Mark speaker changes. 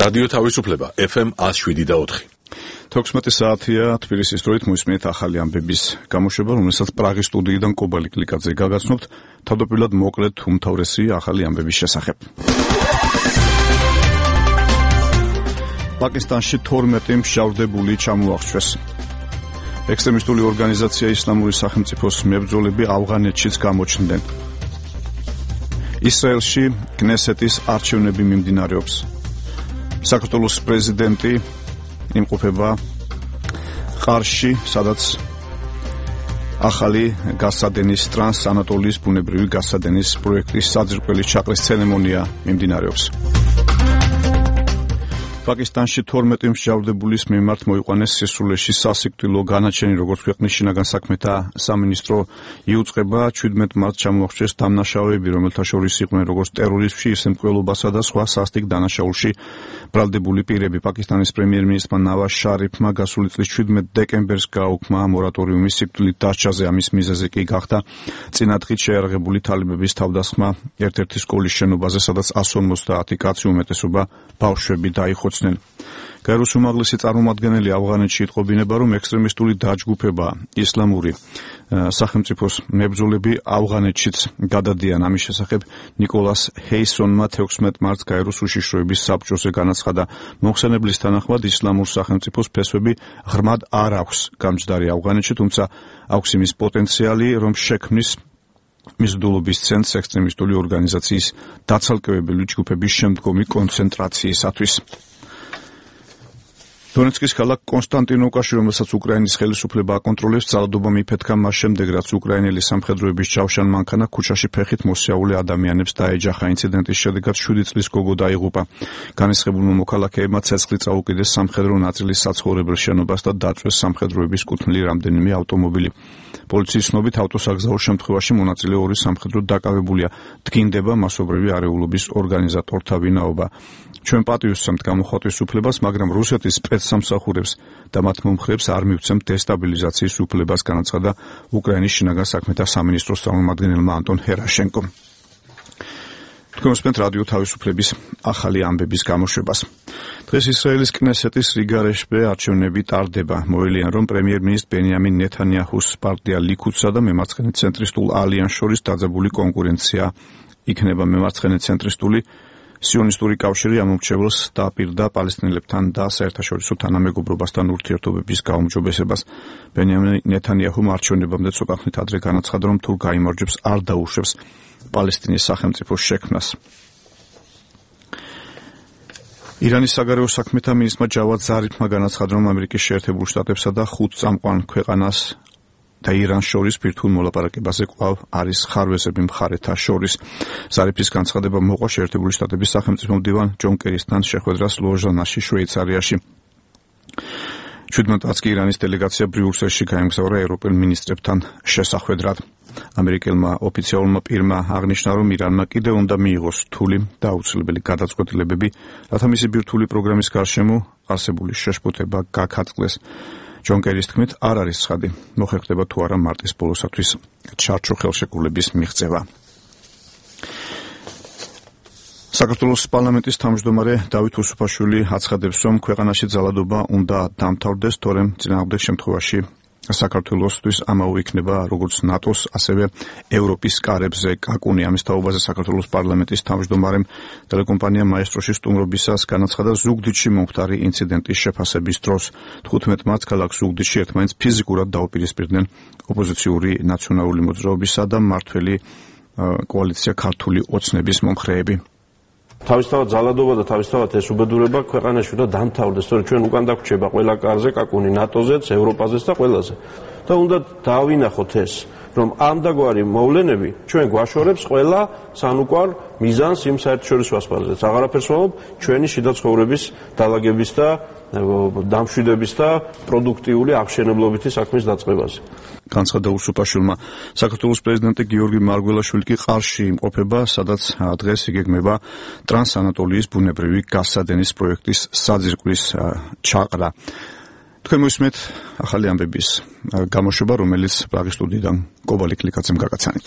Speaker 1: რადიო თავისუფლება FM 107.4.
Speaker 2: 16 საათია თბილისის დროით მოისმენთ ახალი ამბების გამოშვება, რომელსაც პრაღის სტუდიიდან კობალი კლიკაძე გაგაცნობთ, თავდაპირველად მოკლედ უმთავრესი ახალი ამბების შესახებ. პაკისტანში 12 მშავდებული ჩამოახვევს. ექსტრემისტული ორგანიზაცია ისლამური სახელმწიფოს მებრძოლები ავღანეთშიც გამოჩნდნენ. ისრაელში კნესეთის არჩევნები მიმდინარეობს. საქართველოს პრეზიდენტი იმყოფება ყარში, სადაც ახალი გასადენის ტრანსანატოლიის ბუნებრივი გასადენის პროექტის საძირკვლის ჩაყრის ცერემონია მიმდინარეობს. პაკისტანში 12 მსჯავრდებულის მიმართ მოიყვანეს სისულეში სასიკვდილო განაჩენი, როგორც ქვეყნის შინაგან საქმეთა სამინისტრო იუწყება. 17 მარტს ჩამოახვევს დამნაშავეები, რომელთა შორის იყვნენ როგორც ტერორიზმში, ისე მკვლელობასა და სხვა სასტიკ დანაშაულში ბრალდებული პირები. პაკისტანის პრემიერ-მინისტრმა ნავაზ შარიფმა გასული წლის 17 დეკემბერს გააუქმა მორატორიუმის სიკვდილით დასჯაზე. ამის მიზეზი კი გახდა წინადღით შეიარაღებული თალიბების თავდასხმა ერთ-ერთი სკოლის შენობაზე, სადაც 150 კაცი, უმეტესობა ბავშვები დაიხოცნენ. გაეროს უმაღლესი წარმომადგენელი ავღანეთში იტყობინება, რომ ექსტრემისტული დაჯგუფება ისლამური სახელმწიფოს მებრძოლები ავღანეთშიც გადადიან. ამის შესახებ ნიკოლას ჰეისონმა 16 მარტს გაეროს უშიშროების საბჭოზე განაცხადა. მოხსენებლის თანახმად ისლამურ სახელმწიფოს ფესვები ღრმად არ აქვს გამჯდარი ავღანეთში, თუმცა აქვს იმის პოტენციალი, რომ შექმნის მიზიდულობის ცენტრს ექსტრემისტული ორგანიზაციის დაცალკევებელი ჯგუფების შემდგომი კონცენტრაციისათვის. დონეცკის ქალაქ კონსტანტინოვკაში, რომელსაც უკრაინის ხელისუფლება აკონტროლებს, ძალადობა მიფეთქა მას შემდეგ, რაც უკრაინელი სამხედროების ჯავშან მანქანა ქუჩაში ფეხით მოსიაული ადამიანებს დაეჯახა. ინციდენტის შედეგად 7 წლის გოგო დაიღუპა. განისხებულმა მოქალაქეებმა ცეცხლი წაუკიდეს სამხედრო ნაწილის საცხოვრებელ შენობას და დაწვეს სამხედროების კუთვნილი რამდენიმე ავტომობილი. პოლიციის ცნობით, ავტოსაგზაო შემთხვევაში მონაწილე ორი სამხედრო დაკავებულია. დგინდება მასობრივი არეულობის ორგანიზატორთა ვინაობა. ჩვენ პატივისცემთ გამოხატვის უფლებას, მაგრამ რუსეთის სპეცსამსახურებს და მათ მომხრეებს არ მივცემთ დესტაბილიზაციის უფლებას, განაცხადა უკრაინის შინაგან საქმეთა სამინისტროს წარმომადგენელმა ანტონ ჰერაშენკომ. თქვენ უსმენთ რადიო თავისუფლების ახალი ამბების გამოშვებას. დღეს ისრაელის კნესეთის რიგარეშე არჩევნები ტარდება. მოელიან, რომ პრემიერ-მინისტრ ბენიამინ ნეთანიაჰუს პარტია ლიქუდსა და მემარცხენე ცენტრისტულ ალიანსს შორის დაძაბული კონკურენცია იქნება. მემარცხენე ცენტრისტული სიონისტური კავშირი ამომრჩეველს დააპირდა პალესტინელებთან და საერთაშორისო თანამეგობრობასთან ურთიერთობების გაუმჯობესებას. ბენიამინ ნეთანიაჰუმ არჩევნებამდე ცოტა ხნით ადრე განაცხადა, რომ თუ გაიმარჯვებს, არ დაუშვებს პალესტინის სახელმწიფოს შექმნას. ირანის საგარეო საქმეთა მინისტრმა ჯავად ზარიფმა განაცხადა, რომ ამერიკის შეერთებულ შტატებსა და 5 წამყვან ქვეყანას და ირანს შორის ბირთვულ მოლაპარაკებაზე კვლავ არის ხარვეზები მხარეთა შორის. ზარიფის განცხადება მოყვა შეერთებული შტატების სახელმწიფო მდივან ჯონ კერისთან შეხვედრას ლოზანაში, შვეიცარიაში. 17 მარტს კი ირანის დელეგაცია ბრიუსელში გაემგზავრა ევროპელ მინისტრებთან შესახვედრად. ამერიკელმა ოფიციალურმა პირმა აღნიშნა, რომ ირანმა კიდევ უნდა მიიღოს რთული და აუცილებელი გადაწყვეტილებები, რათა მისი ბირთვული პროგრამის გარშემო არსებული შეშფოთება გაქაწყდეს. ჯონ კერის თქმით, არ არის ცხადი, მოხერხდება თუ არა მარტის ბოლოსათვის ჩარჩო ხელშეკრულების მიღწევა. საქართველოს პარლამენტის თავმჯდომარე დავით უსუფაშვილი აცხადებს, რომ ქვეყანაში ძალადობა უნდა დამთავრდეს, თორემ წინააღმდეგ შემთხვევაში საქართველოსთვის ამაო იქნება როგორც ნატოს, ასევე ევროპის კარებზე კაკუნი. ამის თაობაზე საქართველოს პარლამენტის თავმჯდომარემ ტელეკომპანია მაესტროში სტუმრობისას განაცხადა ზუგდიდში მომხდარი ინციდენტის შეფასების დროს. 15 მარტს ქალაქ ზუგდიდში ერთმანეთს ფიზიკურად დაუპირისპირდნენ ოპოზიციური ნაციონალური მოძრაობისა და მმართველი კოალიცია ქართული ოცნების მომხრეები.
Speaker 3: თავისთავად ძალადობა და თავისთავად ეს უბედურება ქვეყანაში უნდა დამთავრდეს, თორემ ჩვენ უკან დაგვრჩება ყველა კარზე, კაკუნი ნატოზეც, ევროპაზეც და ყველაზე. და უნდა დავინახოთ ეს, რომ ამდაგვარი მოვლენები ჩვენ გვაშორებს ყველა სანუკვარ მიზანს იმ საერთაშორისო ასპარეზზე. აღარაფერს ვამბობ ჩვენი შიდა ცხოვრების დალაგების და დამშვიდების და პროდუქტიული აღშენებლობითი საქმის დაწყებაზე.
Speaker 2: განცხადა უსუფაშვილმა. საქართველოს პრეზიდენტი გიორგი მარგველაშვილი კი ყარში იმყოფება, სადაც დღეს იგეგმება ტრანსანატოლიის ბუნებრივი გასადენის პროექტის საძირკვლის ჩაყრა. თქვენ მოისმენთ ახალი ამბების გამოშვება, რომელიც პრაღის სტუდიიდან კობალი კლიკაძემ გაგაცანით.